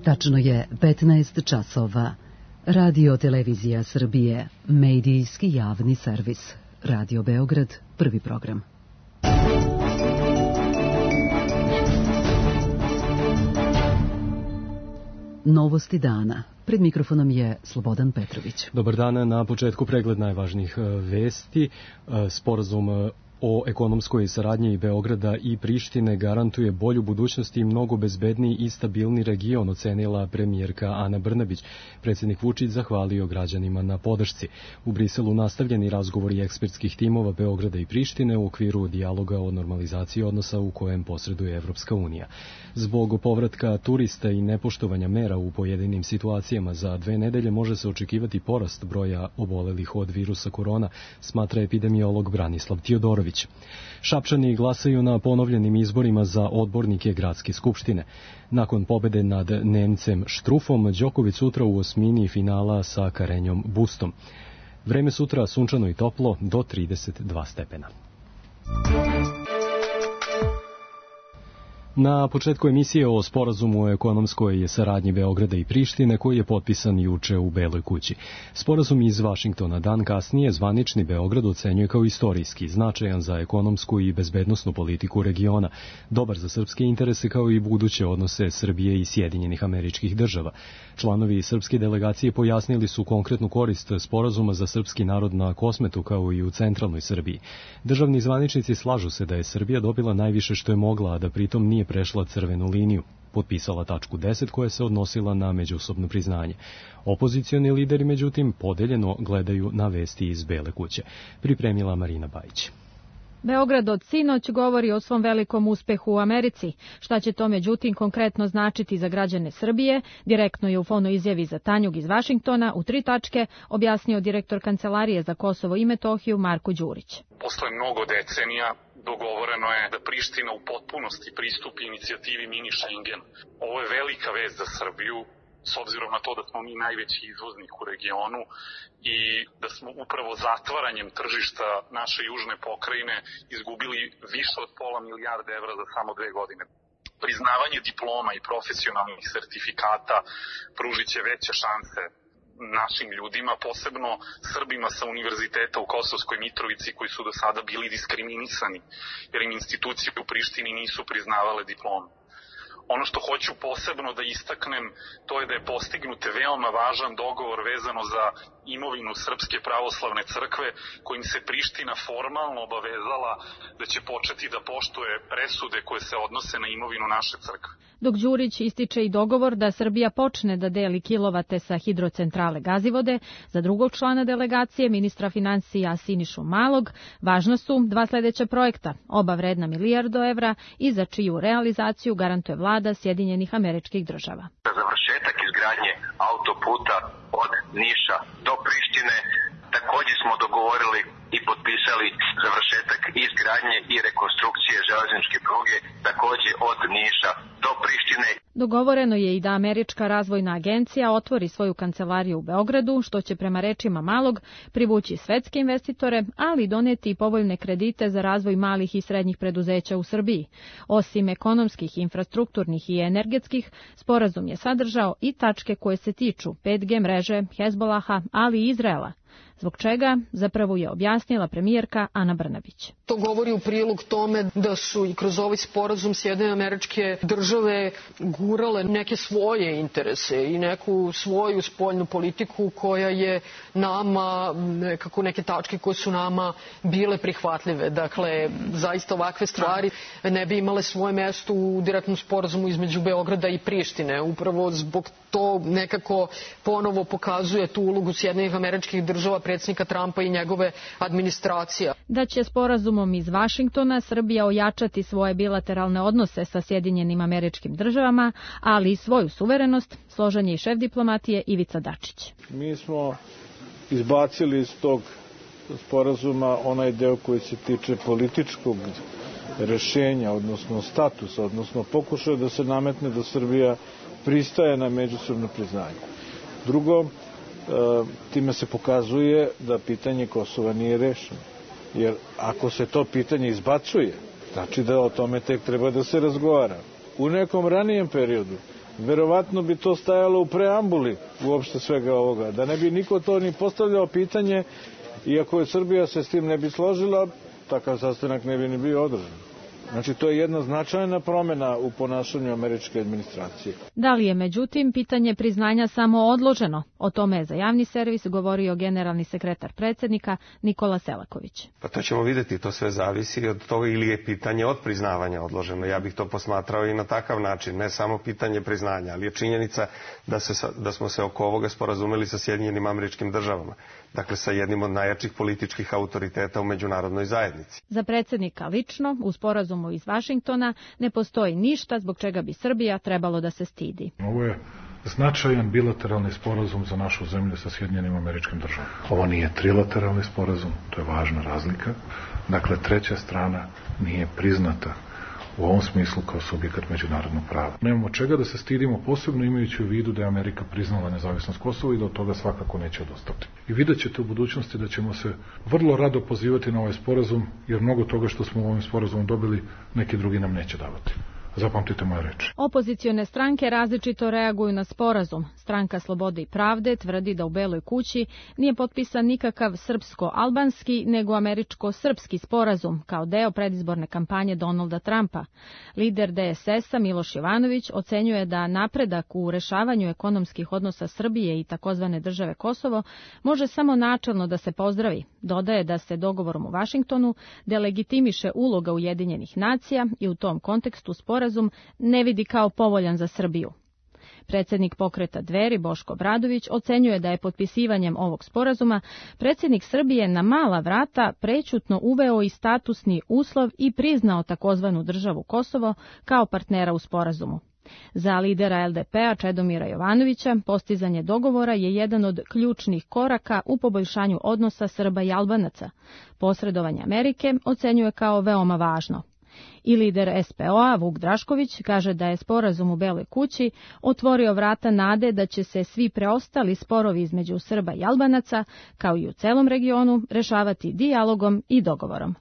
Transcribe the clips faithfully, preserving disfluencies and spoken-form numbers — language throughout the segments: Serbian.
Tačno je petnaest časova. Radio Televizija Srbije, medijski javni servis. Radio Beograd, prvi program. Novosti dana. Pred mikrofonom je Slobodan Petrović. Dobar dan, na početku pregled najvažnijih vesti. Sporazum o ekonomskoj saradnji Beograda i Prištine garantuje bolju budućnost i mnogo bezbedniji i stabilni region, ocenila premijerka Ana Brnabić. Predsjednik Vučić zahvalio građanima na podršci. U Briselu nastavljeni razgovori ekspertskih timova Beograda i Prištine u okviru dijaloga o normalizaciji odnosa u kojem posreduje Evropska unija. Zbog povratka turista i nepoštovanja mera u pojedinim situacijama za dve nedelje može se očekivati porast broja obolelih od virusa korona, smatra epidemiolog Branislav Tijodorović. Šapčani glasaju na ponovljenim izborima za odbornike Gradske skupštine. Nakon pobede nad Nemcem Štrufom, Đoković sutra u osmini finala sa Karenjom Bustom. Vreme sutra sunčano i toplo do trideset dva stepena. Na početku emisije o sporazumu o ekonomskoj saradnji Beograda i Prištine koji je potpisan juče u Beloj kući. Sporazum iz Vašingtona dan kasnije zvanični Beograd ocenjuje kao istorijski, značajan za ekonomsku i bezbednosnu politiku regiona, dobar za srpske interese kao i buduće odnose Srbije i Sjedinjenih Američkih Država. Članovi srpske delegacije pojasnili su konkretnu korist sporazuma za srpski narod na Kosmetu kao i u centralnoj Srbiji. Državni zvaničnici slažu se da je Srbija dobila najviše što je mogla, a da pritom nije prešla crvenu liniju, potpisala tačku deset koja se odnosila na međusobno priznanje. Opozicioni lideri, međutim, podeljeno gledaju na vesti iz Bele kuće. Pripremila Marina Bajić. Beograd od sinoć govori o svom velikom uspehu u Americi. Šta će to međutim konkretno značiti za građane Srbije, direktno je u fonoj izjavi za Tanjug iz Vašingtona u tri tačke objasnio direktor Kancelarije za Kosovo i Metohiju Marko Đurić. Posle mnogo decenija dogovoreno je da Priština u potpunosti pristupi inicijativi Mini Schengen. Ovo je velika vest za Srbiju, s obzirom na to da smo mi najveći izvoznik u regionu i da smo upravo zatvaranjem tržišta naše južne pokrajine izgubili više od pola milijarde evra za samo dve godine. Priznavanje diploma i profesionalnih sertifikata pružit će veće šanse našim ljudima, posebno Srbima sa univerziteta u Kosovskoj Mitrovici koji su do sada bili diskriminisani jer im institucije u Prištini nisu priznavale diplome. Ono što hoću posebno da istaknem, to je da je postignut veoma važan dogovor vezano za imovinu Srpske pravoslavne crkve, kojim se Priština formalno obavezala da će početi da poštuje presude koje se odnose na imovinu naše crkve. Dok Đurić ističe i dogovor da Srbija počne da deli kilovate sa hidrocentrale Gazivode, za drugog člana delegacije, ministra financija Sinišu Malog, važna su dva sledeća projekta, oba vredna milijardu evra i za čiju realizaciju garantuje vlada Sjedinjenih Američkih Država. Za završetak izgradnje autoputa od Niša do Prištine također smo dogovorili i potpisali završetak izgradnje i rekonstrukcije železničke pruge također od Niša do Prištine. Dogovoreno je i da Američka razvojna agencija otvori svoju kancelariju u Beogradu, što će prema rečima Malog privući svetske investitore, ali doneti i povoljne kredite za razvoj malih i srednjih preduzeća u Srbiji. Osim ekonomskih, infrastrukturnih i energetskih, sporazum je sadržao i tačke koje se tiču pet G mreže, Hezbolaha, ali i Izraela. Zbog čega, zapravo je objasnila premijerka Ana Brnabić. To govori u prilog tome da su i kroz ovaj sporazum Sjedinjene Američke Države gurale neke svoje interese i neku svoju spoljnu politiku koja je nama, nekako neke tačke koje su nama bile prihvatljive. Dakle, zaista ovakve stvari ne bi imale svoje mesto u direktnom sporazumu između Beograda i Prištine. Upravo zbog to nekako ponovo pokazuje tu ulogu Sjedinjenih Američkih Država, predsjednika Trumpa i njegove administracije. Da će sporazumom iz Vašingtona Srbija ojačati svoje bilateralne odnose sa Sjedinjenim Američkim Državama, ali i svoju suverenost, složen je i šef diplomatije Ivica Dačić. Mi smo izbacili iz tog sporazuma onaj deo koji se tiče političkog rešenja, odnosno statusa, odnosno pokušaja da se nametne da Srbija pristaje na međusobno priznanje. Drugo, time se pokazuje da pitanje Kosova nije rešeno. Jer ako se to pitanje izbacuje, znači da o tome tek treba da se razgovara. U nekom ranijem periodu verovatno bi to stajalo u preambuli uopšte svega ovoga. Da ne bi niko to ni postavljao pitanje, iako je Srbija se s tim ne bi složila, takav sastanak ne bi ni bio održan. Znači, to je jedna značajna promjena u ponašanju američke administracije. Da li je, međutim, pitanje priznanja samo odloženo? O tome je za javni servis govorio generalni sekretar predsjednika Nikola Selaković. Pa to ćemo vidjeti, to sve zavisi od toga ili je pitanje od priznavanja odloženo. Ja bih to posmatrao i na takav način, ne samo pitanje priznanja, ali je činjenica da, se, da smo se oko ovoga sporazumeli sa Sjedinjenim Američkim Državama. Dakle, sa jednim od najjačih političkih autoriteta u međunarodnoj zajednici. Za predsjednika lično, u sporazumu iz Vašingtona, ne postoji ništa zbog čega bi Srbija trebalo da se stidi. Ovo je značajan bilateralni sporazum za našu zemlju sa Sjedinjenim Američkim Državama. Ovo nije trilateralni sporazum, to je važna razlika. Dakle, treća strana nije priznata u ovom smislu kao subjekat međunarodnog prava. Nemamo čega da se stidimo, posebno imajući u vidu da je Amerika priznala nezavisnost Kosova i da od toga svakako neće odustati. I vidjet ćete u budućnosti da ćemo se vrlo rado pozivati na ovaj sporazum, jer mnogo toga što smo u ovom sporazumu dobili, neki drugi nam neće davati. Zapamtite moje reči. Opozicione stranke različito reaguju na sporazum. Stranka Slobode i pravde tvrdi da u Beloj kući nije potpisan nikakav srpsko-albanski, nego američko-srpski sporazum, kao deo predizborne kampanje Donalda Trumpa. Lider D S S-a Miloš Jovanović ocenjuje da napredak u rešavanju ekonomskih odnosa Srbije i takozvane države Kosovo može samo načelno da se pozdravi. Dodaje da se dogovorom u Vašingtonu delegitimiše uloga Ujedinjenih nacija i u tom kontekstu sporazum Sporazum ne vidi kao povoljan za Srbiju. Predsjednik pokreta Dveri Boško Obradović ocenjuje da je potpisivanjem ovog sporazuma predsjednik Srbije na mala vrata prećutno uveo i statusni uslov i priznao takozvanu državu Kosovo kao partnera u sporazumu. Za lidera L D P-a Čedomira Jovanovića postizanje dogovora je jedan od ključnih koraka u poboljšanju odnosa Srba i Albanaca. Posredovanje Amerike ocenjuje kao veoma važno. I lider S P O-a Vuk Drašković kaže da je sporazum u Beloj kući otvorio vrata nade da će se svi preostali sporovi između Srba i Albanaca, kao i u celom regionu, rešavati dijalogom i dogovorom.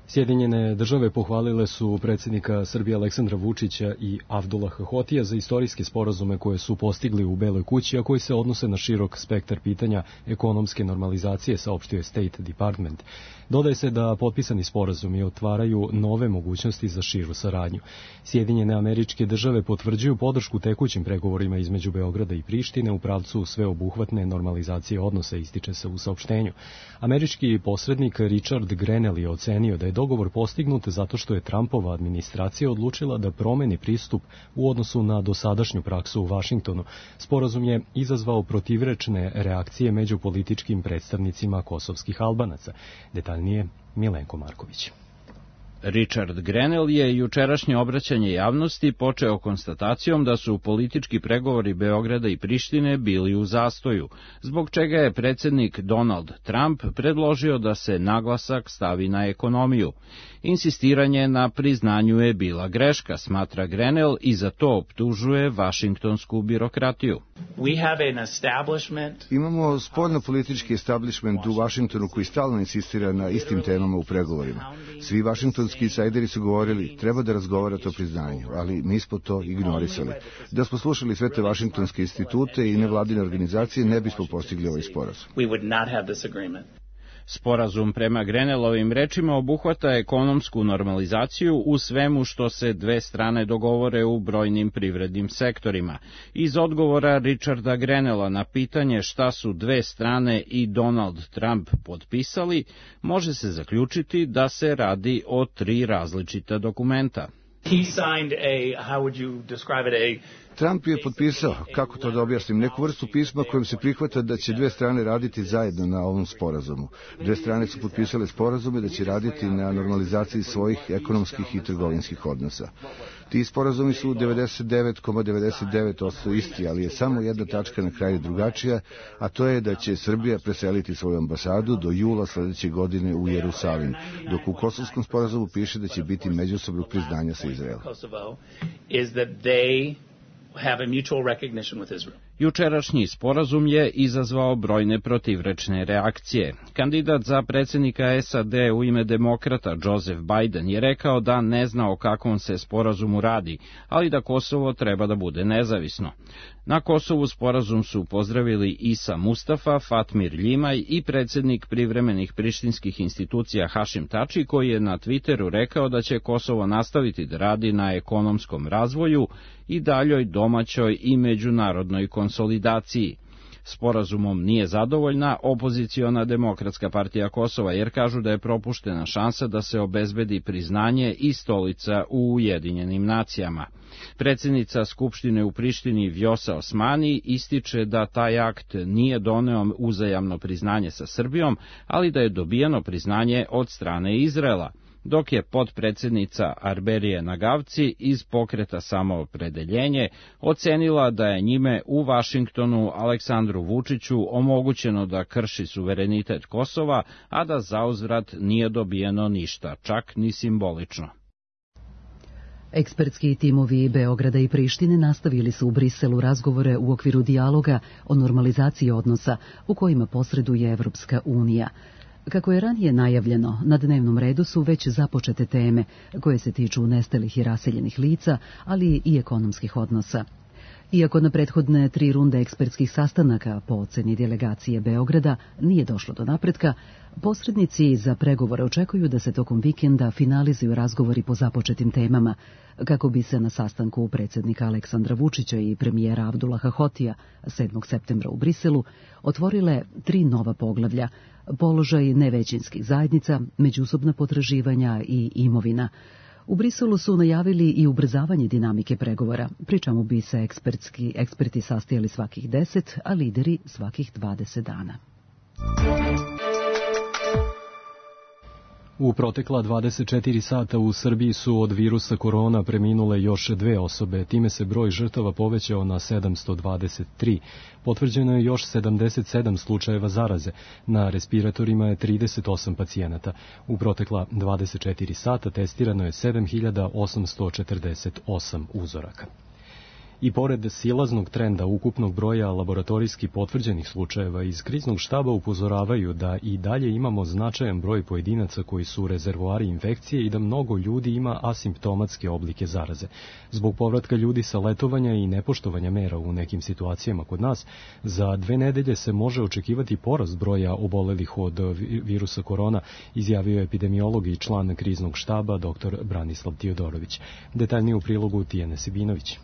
Sjedinjene države pohvalile su predsjednika Srbije Aleksandra Vučića i Avdullaha Hotija za istorijske sporazume koje su postigli u Beloj kući, a koji se odnose na širok spektar pitanja ekonomske normalizacije, saopštio je State Department. Dodaje se da potpisani sporazumi otvaraju nove mogućnosti za širu saradnju. Sjedinjene Američke Države potvrđuju podršku tekućim pregovorima između Beograda i Prištine u pravcu sveobuhvatne normalizacije odnosa, ističe se u saopštenju. Američki posrednik Richard Grenell je ocenio da je dogovor postignut zato što je Trumpova administracija odlučila da promeni pristup u odnosu na dosadašnju praksu u Vašingtonu. Sporazum je izazvao protivrečne reakcije među političkim predstavnicima kosovskih Albanaca. Detaljnije Milenko Marković. Richard Grenell je jučerašnje obraćanje javnosti počeo konstatacijom da su politički pregovori Beograda i Prištine bili u zastoju, zbog čega je predsjednik Donald Trump predložio da se naglasak stavi na ekonomiju. Insistiranje na priznanju je bila greška, smatra Grenell, i za to optužuje vašingtonsku birokratiju. Imamo spoljno-politički establishment u Vašingtonu koji stalno insistira na istim temama u pregovorima. Svi vašingtonski insajderi su govorili, treba da razgovarate o priznanju, ali mi smo to ignorisali. Da smo slušali sve te vašingtonske institute i nevladine organizacije, ne bismo postigli ovaj sporazum. Sporazum prema Grenellovim rečima obuhvata ekonomsku normalizaciju u svemu što se dve strane dogovore u brojnim privrednim sektorima. Iz odgovora Richarda Grenella na pitanje šta su dve strane i Donald Trump potpisali, može se zaključiti da se radi o tri različita dokumenta. He signed a, how would you describe it, a Trump je potpisao, kako to da objasnim, neku vrstu pisma kojim se prihvata da će dve strane raditi zajedno na ovom sporazumu. Dve strane su potpisale sporazume da će raditi na normalizaciji svojih ekonomskih i trgovinskih odnosa. Ti sporazumi su devedeset devet zarez devedeset devet posto isti, ali je samo jedna tačka na kraju drugačija, a to je da će Srbija preseliti svoju ambasadu do jula sledeće godine u Jerusalim, dok u kosovskom sporazumu piše da će biti međusobnog priznanja sa Izraelom. Have a mutual recognition with Israel. Jučerašnji sporazum je izazvao brojne protivrečne reakcije. Kandidat za predsjednika S A D u ime demokrata Joseph Biden je rekao da ne zna o kakvom se sporazumu radi, ali da Kosovo treba da bude nezavisno. Na Kosovu sporazum su pozdravili Isa Mustafa, Fatmir Ljimaj i predsjednik privremenih prištinskih institucija Hašim Tači, koji je na Twitteru rekao da će Kosovo nastaviti da radi na ekonomskom razvoju i daljoj domaćoj i međunarodnoj konsolidaciji. Sporazumom nije zadovoljna opoziciona Demokratska partija Kosova, jer kažu da je propuštena šansa da se obezbedi priznanje i stolica u Ujedinjenim nacijama. Predsjednica Skupštine u Prištini Vjosa Osmani ističe da taj akt nije doneo uzajamno priznanje sa Srbijom, ali da je dobijeno priznanje od strane Izraela, dok je potpredsjednica Arberije Nagavci iz pokreta Samoopredeljenje ocenila da je njime u Vašingtonu Aleksandru Vučiću omogućeno da krši suverenitet Kosova, a da zauzvrat nije dobijeno ništa, čak ni simbolično. Ekspertski timovi Beograda i Prištine nastavili su u Briselu razgovore u okviru dijaloga o normalizaciji odnosa u kojima posreduje Evropska unija. Kako je ranije najavljeno, na dnevnom redu su već započete teme koje se tiču nestalih i raseljenih lica, ali i ekonomskih odnosa. Iako na prethodne tri runde ekspertskih sastanaka po oceni delegacije Beograda nije došlo do napretka, posrednici za pregovore očekuju da se tokom vikenda finalizuju razgovori po započetim temama, kako bi se na sastanku predsjednika Aleksandra Vučića i premijera Abdullaha Hotija sedmog septembra u Briselu otvorile tri nova poglavlja: položaj nevećinskih zajednica, međusobna potraživanja i imovina. U Briselu su najavili i ubrzavanje dinamike pregovora, pri čemu bi se ekspertski, eksperti sastajali svakih deset, a lideri svakih dvadeset dana. U protekla dvadeset četiri sata u Srbiji su od virusa korona preminule još dve osobe, time se broj žrtava povećao na sedamsto dvadeset tri. Potvrđeno je još sedamdeset sedam slučajeva zaraze, na respiratorima je trideset osam pacijenata. U protekla dvadeset četiri sata testirano je sedam hiljada osamsto četrdeset osam uzoraka. I pored silaznog trenda ukupnog broja laboratorijski potvrđenih slučajeva, iz kriznog štaba upozoravaju da i dalje imamo značajan broj pojedinaca koji su rezervoari infekcije i da mnogo ljudi ima asimptomatske oblike zaraze. Zbog povratka ljudi sa letovanja i nepoštovanja mera u nekim situacijama kod nas, za dve nedelje se može očekivati porast broja obolelih od virusa korona, izjavio epidemiolog i član kriznog štaba dr Branislav Tiodorović. Detaljnije u prilogu Tijene Sibinović.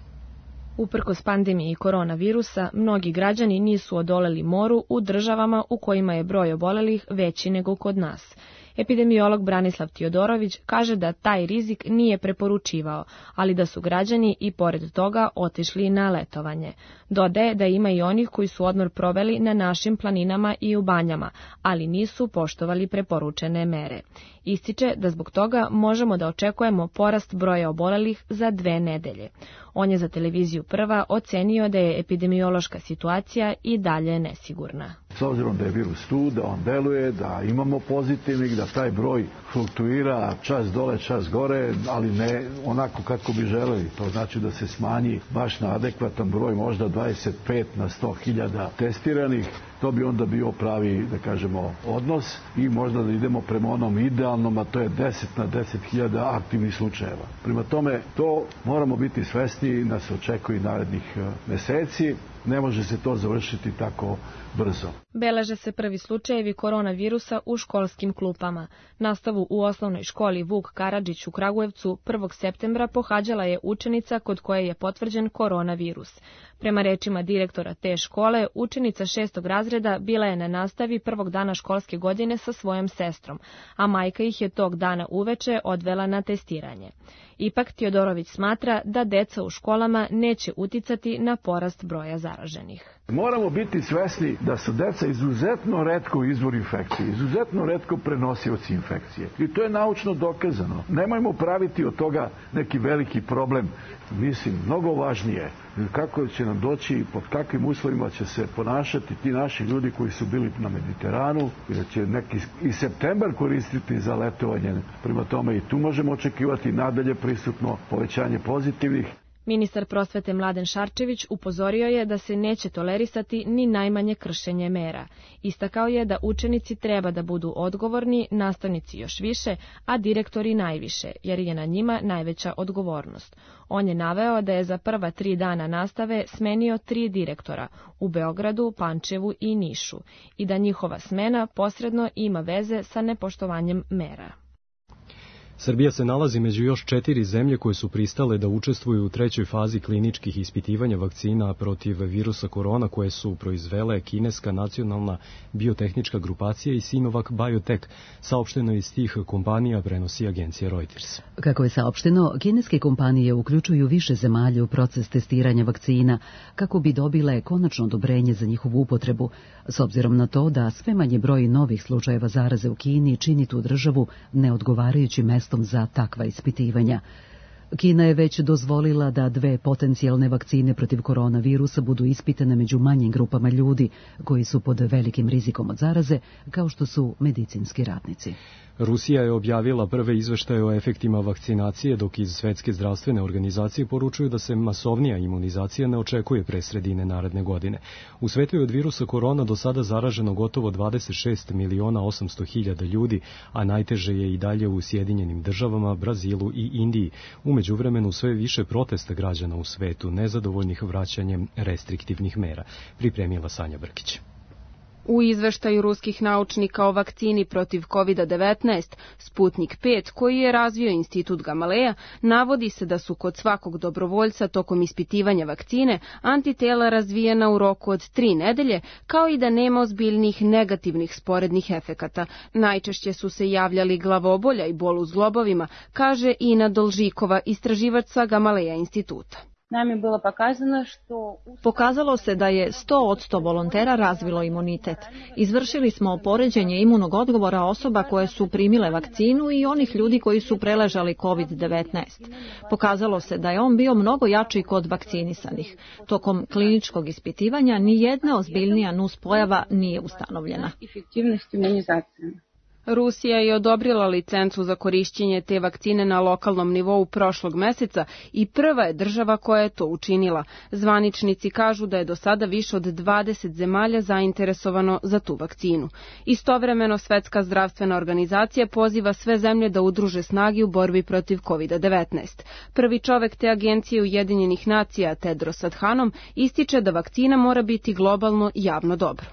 Uprkos pandemiji koronavirusa, mnogi građani nisu odoleli moru u državama u kojima je broj obolelih veći nego kod nas. Epidemiolog Branislav Tiodorović kaže da taj rizik nije preporučivao, ali da su građani i pored toga otišli na letovanje. Dodaje da ima i onih koji su odmor proveli na našim planinama i u banjama, ali nisu poštovali preporučene mere. Ističe da zbog toga možemo da očekujemo porast broja obolelih za dve nedelje. On je za televiziju Prva ocenio da je epidemiološka situacija i dalje nesigurna. S obzirom da je virus tu, da on deluje, da imamo pozitivnih, da taj broj fluktuira čas dole, čas gore, ali ne onako kako bi želeli. To znači da se smanji baš na adekvatan broj, možda dvadeset pet na sto hiljada testiranih. To bi onda bio pravi, da kažemo, odnos i možda da idemo prema onom idealnom, a to je deset na deset hiljada aktivnih slučajeva. Prema tome, to moramo biti svesni da se očekuje narednih meseci. Ne može se to završiti tako brzo. Beleže se prvi slučajevi koronavirusa u školskim klupama. Nastavu u osnovnoj školi Vuk Karadžić u Kragujevcu prvog septembra pohađala je učenica kod koje je potvrđen koronavirus. Prema rečima direktora te škole, učenica šestog razreda bila je na nastavi prvog dana školske godine sa svojom sestrom, a majka ih je tog dana uveče odvela na testiranje. Ipak Tiodorović smatra da deca u školama neće uticati na porast broja zaraženih. Moramo biti svesni da su deca izuzetno retko izvor infekcije, izuzetno retko prenosioci infekcije. I to je naučno dokazano. Nemojmo praviti od toga neki veliki problem. Mislim, mnogo važnije kako će nam doći i pod kakvim uslovima će se ponašati ti naši ljudi koji su bili na Mediteranu i da će neki i septembar koristiti za letovanje. Prema tome i tu možemo očekivati nadalje prisutno povećanje pozitivnih. Ministar prosvete Mladen Šarčević upozorio je da se neće tolerisati ni najmanje kršenje mera. Istakao je da učenici treba da budu odgovorni, nastavnici još više, a direktori najviše, jer je na njima najveća odgovornost. On je naveo da je za prva tri dana nastave smenio tri direktora u Beogradu, Pančevu i Nišu i da njihova smena posredno ima veze sa nepoštovanjem mera. Srbija se nalazi među još četiri zemlje koje su pristale da učestvuju u trećoj fazi kliničkih ispitivanja vakcina protiv virusa korona koje su proizvele kineska nacionalna biotehnička grupacija i Sinovac Biotech. Saopšteno iz tih kompanija prenosi agencija Reuters. Kako je saopšteno, kineske kompanije uključuju više zemalja u proces testiranja vakcina kako bi dobile konačno odobrenje za njihovu upotrebu, s obzirom na to da sve manje broj novih slučajeva zaraze u Kini čini tu državu neodgovarajućim mestom za takva ispitivanja. Kina je već dozvolila da dve potencijalne vakcine protiv koronavirusa budu ispitane među manjim grupama ljudi koji su pod velikim rizikom od zaraze, kao što su medicinski radnici. Rusija je objavila prve izveštaje o efektima vakcinacije, dok iz Svetske zdravstvene organizacije poručuju da se masovnija imunizacija ne očekuje pre sredine naredne godine. U svetu je od virusa korona do sada zaraženo gotovo dvadeset šest miliona osamsto hiljada ljudi, a najteže je i dalje u Sjedinjenim državama, Brazilu i Indiji. U međuvremenu sve više protesta građana u svetu, nezadovoljnih vraćanjem restriktivnih mera. Pripremila Sanja Brkić. U izveštaju ruskih naučnika o vakcini protiv kovid devetnaest, Sputnik pet, koji je razvio institut Gamaleja, navodi se da su kod svakog dobrovoljca tokom ispitivanja vakcine antitela razvijena u roku od tri nedelje, kao i da nema ozbiljnih negativnih sporednih efekata. Najčešće su se javljali glavobolja i bol u zglobovima, kaže Ina Dolžikova, istraživač sa Gamaleja instituta. Pokazalo se da je sto posto volontera razvilo imunitet. Izvršili smo poređenje imunog odgovora osoba koje su primile vakcinu i onih ljudi koji su preležali kovid devetnaest. Pokazalo se da je on bio mnogo jači kod vakcinisanih. Tokom kliničkog ispitivanja ni jedna ozbiljnija nuspojava nije ustanovljena. Rusija je odobrila licencu za korišćenje te vakcine na lokalnom nivou prošlog meseca i prva je država koja je to učinila. Zvaničnici kažu da je do sada više od dvadeset zemalja zainteresovano za tu vakcinu. Istovremeno, Svetska zdravstvena organizacija poziva sve zemlje da udruže snage u borbi protiv kovid devetnaest. Prvi čovek te agencije Ujedinjenih nacija, Tedros Adhanom, ističe da vakcina mora biti globalno javno dobro.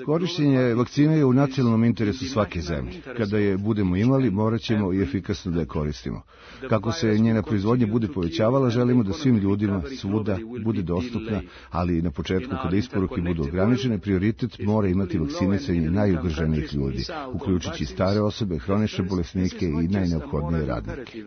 Korišćenje vakcine je u nacionalnom interesu svake zemlje. Kada je budemo imali, morat ćemo i efikasno da je koristimo. Kako se njena proizvodnja bude povećavala, želimo da svim ljudima svuda bude dostupna, ali na početku kada isporuke budu ograničene, prioritet mora imati vakcinisanje najugroženijih ljudi, uključujući stare osobe, hronične bolesnike i najneophodnije radnike.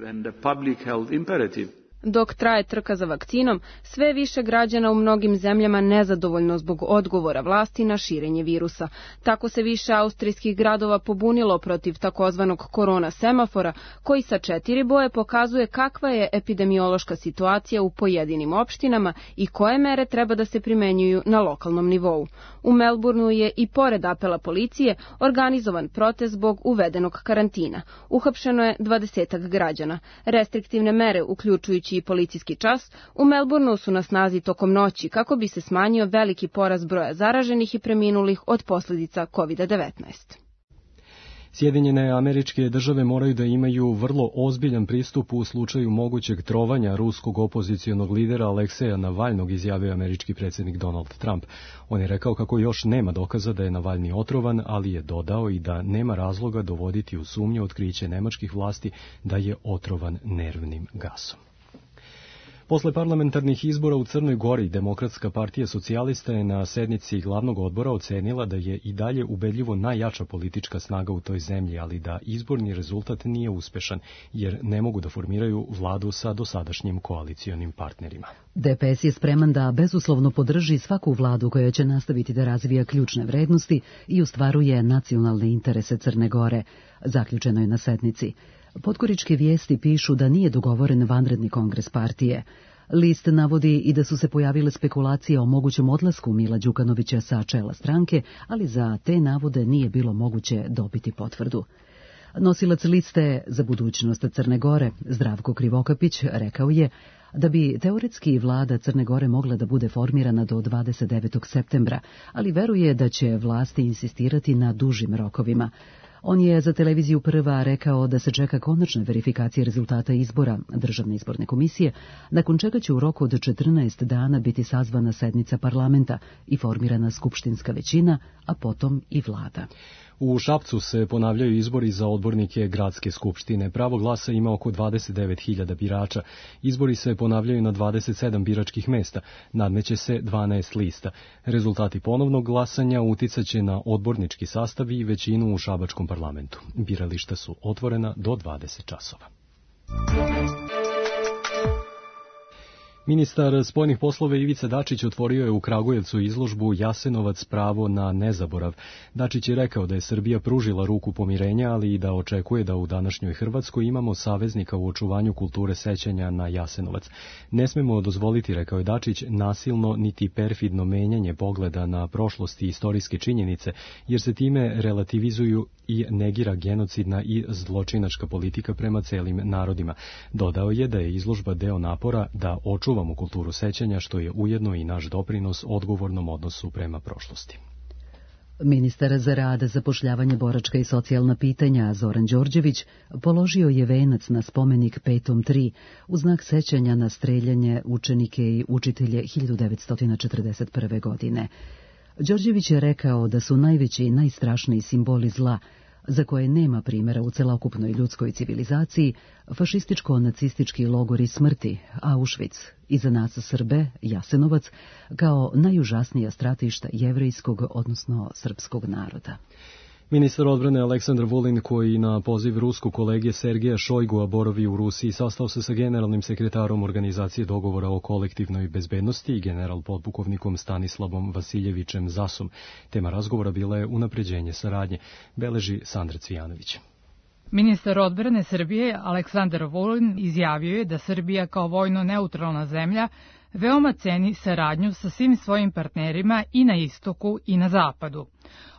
Dok traje trka za vakcinom, sve više građana u mnogim zemljama nezadovoljno zbog odgovora vlasti na širenje virusa. Tako se više austrijskih gradova pobunilo protiv takozvanog korona semafora, koji sa četiri boje pokazuje kakva je epidemiološka situacija u pojedinim opštinama i koje mere treba da se primenjuju na lokalnom nivou. U Melbourneu je i pored apela policije organizovan protest zbog uvedenog karantina. Uhapšeno je dvadesetak građana. Restriktivne mere, uključujući i policijski čas, u Melbourneu su na snazi tokom noći kako bi se smanjio veliki porast broja zaraženih i preminulih od posljedica kovid devetnaest. Sjedinjene Američke države moraju da imaju vrlo ozbiljan pristup u slučaju mogućeg trovanja ruskog opozicionog lidera Alekseja Navalnog, izjavio američki predsjednik Donald Trump. On je rekao kako još nema dokaza da je Navalni otrovan, ali je dodao i da nema razloga dovoditi u sumnju otkriće nemačkih vlasti da je otrovan nervnim gasom. Posle parlamentarnih izbora u Crnoj Gori, Demokratska partija socijalista je na sednici glavnog odbora ocenila da je i dalje ubedljivo najjača politička snaga u toj zemlji, ali da izborni rezultat nije uspešan, jer ne mogu da formiraju vladu sa dosadašnjim koalicionim partnerima. D P S je spreman da bezuslovno podrži svaku vladu koja će nastaviti da razvija ključne vrednosti i ostvaruje nacionalne interese Crne Gore, zaključeno je na sednici. Podgoričke vijesti pišu da nije dogovoren vanredni kongres partije. List navodi i da su se pojavile spekulacije o mogućem odlasku Mila Đukanovića sa čela stranke, ali za te navode nije bilo moguće dobiti potvrdu. Nosilac liste za budućnost Crne Gore, Zdravko Krivokapić, rekao je da bi teoretski vlada Crne Gore mogla da bude formirana do dvadeset devetog septembra, ali veruje da će vlasti insistirati na dužim rokovima. On je za televiziju Prva rekao da se čeka konačna verifikacija rezultata izbora Državne izborne komisije, nakon čega će u roku od četrnaest dana biti sazvana sednica parlamenta i formirana skupštinska većina, a potom i vlada. U Šapcu se ponavljaju izbori za odbornike gradske skupštine. Pravo glasa ima oko dvadeset devet hiljada birača. Izbori se ponavljaju na dvadeset sedam biračkih mesta. Nadmeće se dvanaest lista. Rezultati ponovnog glasanja uticaće na odbornički sastav i većinu u šabačkom parlamentu. Birališta su otvorena do dvadeset časova. Ministar spoljnih poslova Ivica Dačić otvorio je u Kragujevcu izložbu Jasenovac pravo na nezaborav. Dačić je rekao da je Srbija pružila ruku pomirenja, ali i da očekuje da u današnjoj Hrvatskoj imamo saveznika u očuvanju kulture sećanja na Jasenovac. Ne smemo dozvoliti, rekao je Dačić, nasilno niti perfidno menjanje pogleda na prošlost i istorijske činjenice, jer se time relativizuju i negira genocidna i zločinačka politika prema celim narodima. Dodao je da je izložba deo napora da očuvamo kulturu sećanja, što je ujedno i naš doprinos odgovornom odnosu prema prošlosti. Ministar za rad, zapošljavanje, boračka i socijalna pitanja Zoran Đorđević položio je venac na spomenik Petom tri u znak sećanja na streljanje učenike i učitelje hiljadu devetsto četrdeset prve. godine. Đorđević je rekao da su najveći i najstrašniji simboli zla, za koje nema primjera u celokupnoj ljudskoj civilizaciji, fašističko-nacistički logori smrti, Auschwitz, i za nas Srbe, Jasenovac, kao najužasnija stratišta jevrejskog, odnosno srpskog naroda. Ministar odbrane Aleksandar Vulin, koji na poziv ruskog kolege Sergeja Šojgua boravi u Rusiji, sastao se sa generalnim sekretarom Organizacije dogovora o kolektivnoj bezbednosti i general podpukovnikom Stanislavom Vasiljevićem Zasom. Tema razgovora bila je unapređenje saradnje, beleži Sandra Cvijanović. Ministar odbrane Srbije Aleksandar Vulin izjavio je da Srbija kao vojno neutralna zemlja veoma ceni saradnju sa svim svojim partnerima i na istoku i na zapadu.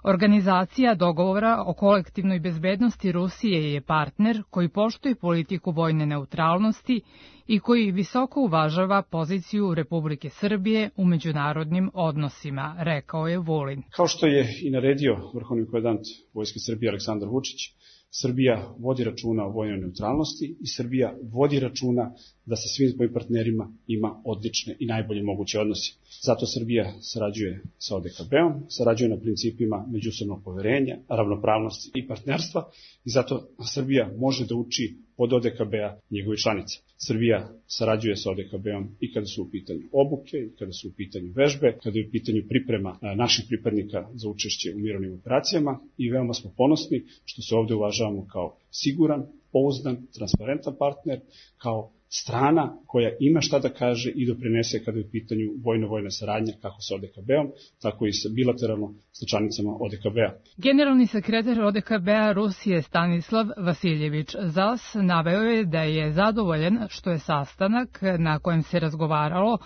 Organizacija dogovora o kolektivnoj bezbednosti Rusije je partner koji poštuje politiku vojne neutralnosti i koji visoko uvažava poziciju Republike Srbije u međunarodnim odnosima, rekao je Vulin. Kao što je i naredio vrhovni komandant Vojske Srbije Aleksandar Vučić, Srbija vodi računa o vojnoj neutralnosti i Srbija vodi računa da sa svim svojim partnerima ima odlične i najbolje moguće odnose. Zato Srbija sarađuje sa O D K B-om, sarađuje na principima međusobnog poverenja, ravnopravnosti i partnerstva i zato Srbija može da uči od O D K B-a njegovih članica. Srbija sarađuje sa O D K B-om i kada su u pitanju obuke, i kada su u pitanju vežbe, kada je u pitanju priprema naših pripadnika za učešće u mirovnim operacijama i veoma smo ponosni što se ovde uvažavamo kao siguran, pouzdan, transparentan partner, kao strana koja ima šta da kaže i doprinese kada je u pitanju vojno-vojna saradnja kako sa O D K B-om, tako i sa bilateralno sa članicama O D K B-a. Generalni sekretar O D K B-a Rusije Stanislav Vasiljević Zas naveo je da je zadovoljan što je sastanak na kojem se razgovaralo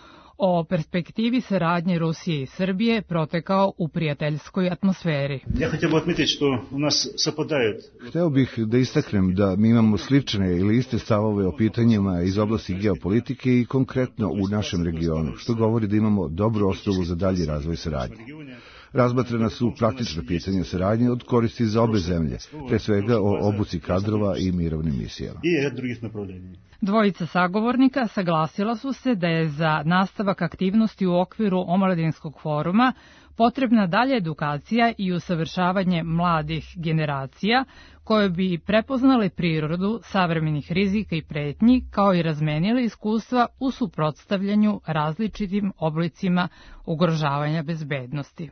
o perspektivi saradnje Rusije i Srbije protekao u prijateljskoj atmosferi. Ja htio bih odmetiti što u nas sapadaju. Hteo bih da istaknem da mi imamo slične ili iste stavove o pitanjima iz oblasti geopolitike i konkretno u našem regionu, što govori da imamo dobru osnovu za dalji razvoj saradnje. Razmatrana su praktična pitanja saradnje od koristi za obe zemlje, pre svega o obuci kadrova i mirovnim misijama. I red drugih napravljenja. Dvojica sagovornika saglasila su se da je za nastavak aktivnosti u okviru omladinskog foruma potrebna dalja edukacija i usavršavanje mladih generacija koje bi prepoznale prirodu savremenih rizika i pretnji, kao i razmenile iskustva u suprotstavljanju različitim oblicima ugrožavanja bezbednosti.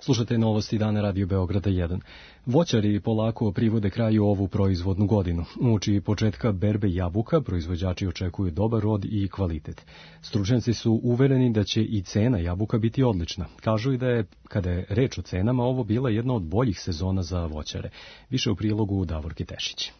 Slušate novosti dana Radio Beograda jedan. Voćari polako privode kraju ovu proizvodnu godinu. Uoči početka berbe jabuka proizvođači očekuju dobar rod i kvalitet. Stručnjaci su uvereni da će i cena jabuka biti odlična. Kažu i da je, kada je reč o cenama, ovo bila jedna od boljih sezona za voćare. Više u prilogu Davorke Tešić.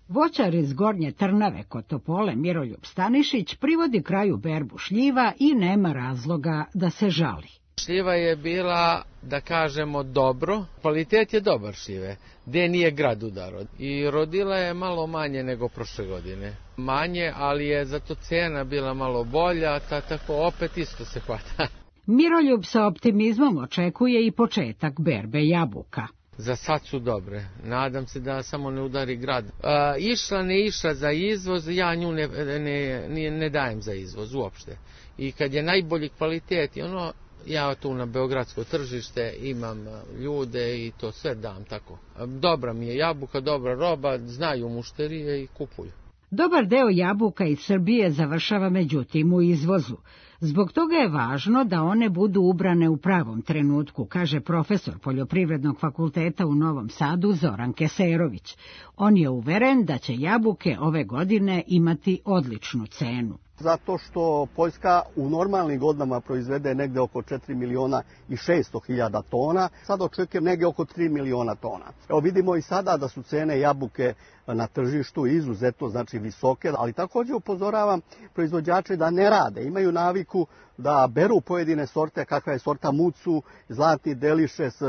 Voćar iz Gornje Trnave kod Topole Miroljub Stanišić privodi kraju berbu šljiva i nema razloga da se žali. Šljiva je bila, da kažemo, dobro. Kvalitet je dobar šljive, gde nije grad udaro. I rodila je malo manje nego prošle godine. Manje, ali je zato cena bila malo bolja, ta tako opet isto se hvata. Miroljub sa optimizmom očekuje i početak berbe jabuka. Za sad su dobre. Nadam se da samo ne udari grad. A, išla ne išla za izvoz, ja nju ne, ne, ne, ne dajem za izvoz uopšte. I kad je najbolji kvalitet, ono, ja tu na beogradsko tržište imam ljude i to sve dam tako. Dobra mi je jabuka, dobra roba, znaju mušterije i kupuju. Dobar deo jabuka iz Srbije završava međutim u izvozu. Zbog toga je važno da one budu ubrane u pravom trenutku, kaže profesor Poljoprivrednog fakulteta u Novom Sadu Zoran Keserović. On je uveren da će jabuke ove godine imati odličnu cenu. Zato što Poljska u normalnim godinama proizvede negde oko četiri miliona i šesto hiljada tona, sad očekujem negde oko tri miliona tona. Evo vidimo i sada da su cene jabuke na tržištu izuzetno znači visoke, ali također upozoravam proizvođače da ne rade, imaju naviku da beru pojedine sorte, kakva je sorta Mucu, Zlatni Delišes,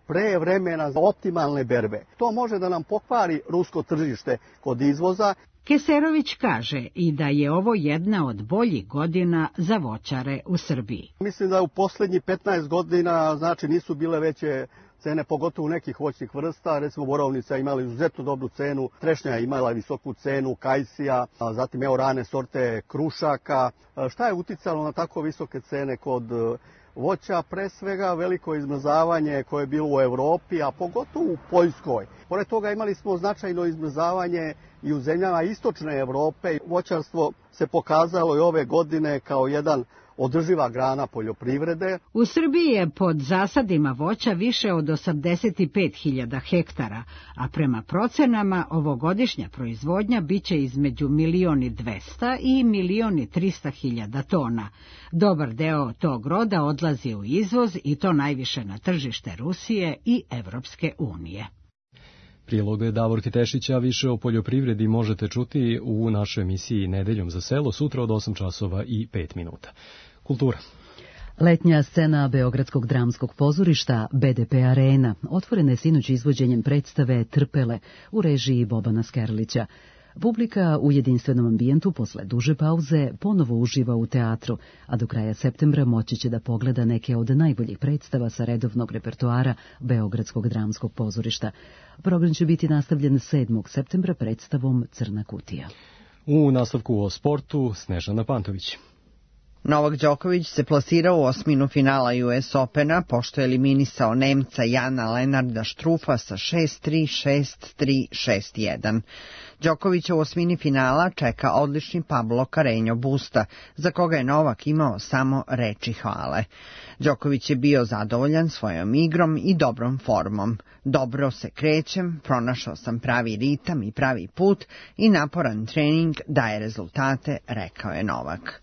pre vremena za optimalne berbe. To može da nam pokvari rusko tržište kod izvoza. Keserović kaže i da je ovo jedna od boljih godina za voćare u Srbiji. Mislim da u posljednjih petnaest godina znači nisu bile veće cene, pogotovo nekih voćnih vrsta. Recimo borovnica imala izuzetno dobru cenu, trešnja je imala visoku cenu, kajsija, zatim evo rane sorte krušaka. Šta je uticalo na tako visoke cene kod voća? Pre svega veliko izmrzavanje koje je bilo u Evropi, a pogotovo u Poljskoj. Pored toga imali smo značajno izmrzavanje i u zemljama istočne Evrope. Voćarstvo se pokazalo i ove godine kao jedan održiva grana poljoprivrede. U Srbiji je pod zasadima voća više od osamdeset pet hiljada hektara, a prema procenama ovogodišnja proizvodnja biće između milion i dvesta i milion i trista hiljada tona. Dobar deo tog roda odlazi u izvoz i to najviše na tržište Rusije i Evropske unije. Prilog Davorke Tešića, više o poljoprivredi možete čuti u našoj emisiji Nedeljom za selo sutra od osam časova i pet minuta. Kultura. Letnja scena Beogradskog dramskog pozorišta B D P Arena otvorena je sinoć izvođenjem predstave Trpele u režiji Bobana Skerlića. Publika u jedinstvenom ambijentu posle duže pauze ponovo uživa u teatru, a do kraja septembra moći će da pogleda neke od najboljih predstava sa redovnog repertoara Beogradskog dramskog pozorišta. Program će biti nastavljen sedmog septembra predstavom Crna kutija. U nastavku o sportu Snežana Pantović. Novak Đoković se plasirao u osminu finala U S Opena, pošto je eliminisao Nemca Jana Lenarda Štrufa sa šest tri, šest tri, šest jedan. Đokovića u osmini finala čeka odlični Pablo Carreño Busta, za koga je Novak imao samo reči hvale. Đoković je bio zadovoljan svojom igrom i dobrom formom. Dobro se krećem, pronašao sam pravi ritam i pravi put i naporan trening daje rezultate, rekao je Novak.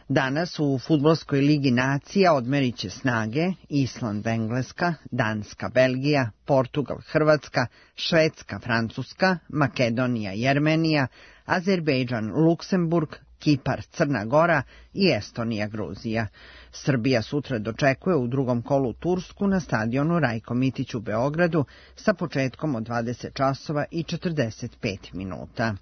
Danas u Fudbalskoj ligi nacija odmerit će snage Island Engleska, Danska Belgija, Portugal Hrvatska, Švedska Francuska, Makedonija Jermenija, Azerbejdžan Luksemburg, Kipar Crna Gora i Estonija Gruzija. Srbija sutra dočekuje u drugom kolu Tursku na stadionu Rajko Mitić u Beogradu sa početkom od dvadeset časova i četrdeset pet minuta.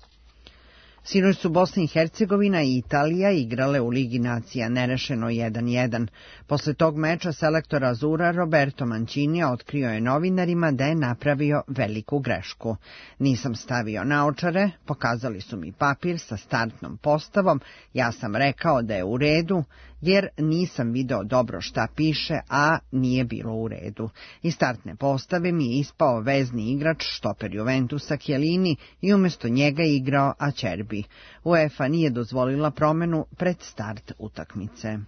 Sinoć su Bosna i Hercegovina i Italija igrale u Ligi nacija nerešeno jedan jedan. Posle tog meča selektor Azura Roberto Mancini otkrio je novinarima da je napravio veliku grešku. Nisam stavio naočare, pokazali su mi papir sa startnom postavom, ja sam rekao da je u redu, jer nisam video dobro šta piše, a nije bilo u redu. Iz startne postave mi je ispao vezni igrač, štoper Juventusa Chiellini i umjesto njega igrao Acerbi. UEFA nije dozvolila promenu pred start utakmice.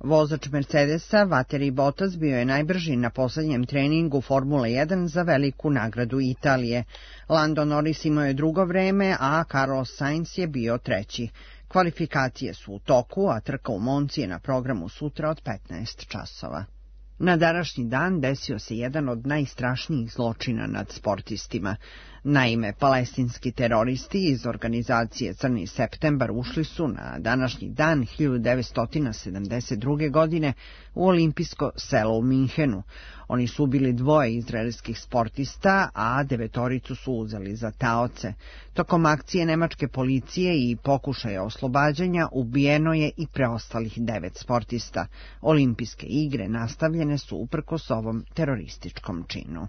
Vozač Mercedesa Valtteri Bottas bio je najbrži na posljednjem treningu Formule jedan za veliku nagradu Italije. Lando Norris imao je drugo vreme, a Carlos Sainz je bio treći. Kvalifikacije su u toku, a trka u Monci je na programu sutra od petnaest časova. Na današnji dan desio se jedan od najstrašnijih zločina nad sportistima. Naime, palestinski teroristi iz organizacije Crni septembar ušli su na današnji dan hiljadu devetsto sedamdeset druge. godine u olimpijsko selo u Minhenu. Oni su ubili dvoje izraelskih sportista, a devetoricu su uzeli za taoce. Tokom akcije nemačke policije i pokušaja oslobađanja ubijeno je i preostalih devet sportista. Olimpijske igre nastavljene su uprkos ovom terorističkom činu.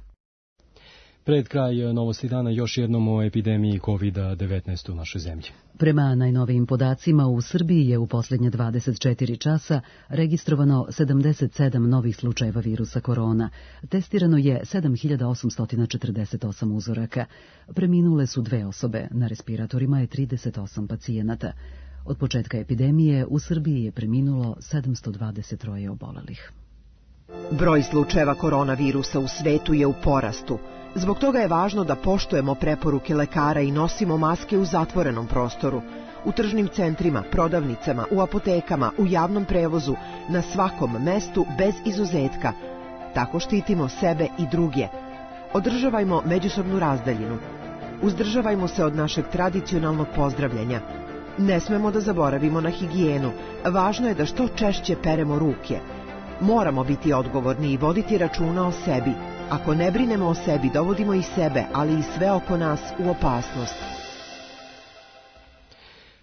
Pred kraj novosti dana još jednom o epidemiji kovid devetnaest u našoj zemlji. Prema najnovijim podacima u Srbiji je u posljednje dvadeset četiri časa registrovano sedamdeset sedam novih slučajeva virusa korona. Testirano je sedam hiljada osamsto četrdeset osam uzoraka. Preminule su dve osobe, na respiratorima je trideset osam pacijenata. Od početka epidemije u Srbiji je preminulo sedamsto dvadeset troje obolelih. Broj slučajeva koronavirusa u svetu je u porastu. Zbog toga je važno da poštujemo preporuke lekara i nosimo maske u zatvorenom prostoru, u tržnim centrima, prodavnicama, u apotekama, u javnom prevozu, na svakom mestu bez izuzetka. Tako štitimo sebe i druge. Održavajmo međusobnu razdaljinu. Uzdržavajmo se od našeg tradicionalnog pozdravljanja. Ne smemo da zaboravimo na higijenu. Važno je da što češće peremo ruke. Moramo biti odgovorni i voditi računa o sebi. Ako ne brinemo o sebi, dovodimo i sebe, ali i sve oko nas u opasnost.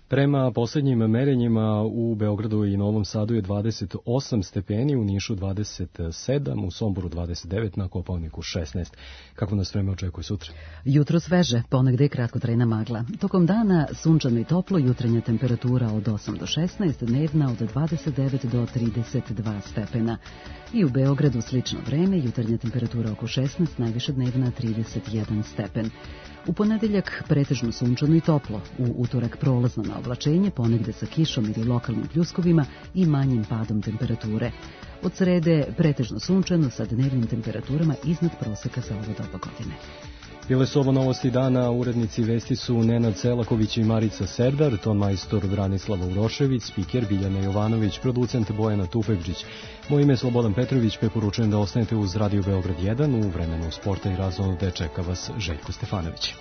Prema posljednjim merenjima u Beogradu i Novom Sadu je dvadeset osam stepeni, u Nišu dvadeset sedam, u Somboru dvadeset devet, na Kopaoniku šesnaest. Kako nas vreme očekuje sutra? Jutro sveže, ponegde kratkotrajna magla. Tokom dana sunčano i toplo, jutarnja temperatura od osam do šesnaest, dnevna od dvadeset devet do trideset dva stepena. I u Beogradu slično vreme, jutarnja temperatura oko šesnaest, najviša dnevna trideset jedan stepen. U ponedeljak pretežno sunčano i toplo, u utorak prolazno na oblačenje, ponegde sa kišom ili lokalnim pljuskovima i manjim padom temperature. Od srede pretežno sunčano sa dnevnim temperaturama iznad proseka za ovo doba godine. Bile su ovo novosti dana, urednici vesti su Nenad Selaković i Marica Serdar, ton majstor Branislava Urošević, spiker Biljana Jovanović, producent Bojana Tufegđić. Moje ime je Slobodan Petrović, preporučujem da ostanete uz Radio Beograd jedan, u vremenu sporta i razonode čeka vas Željko Stefanović.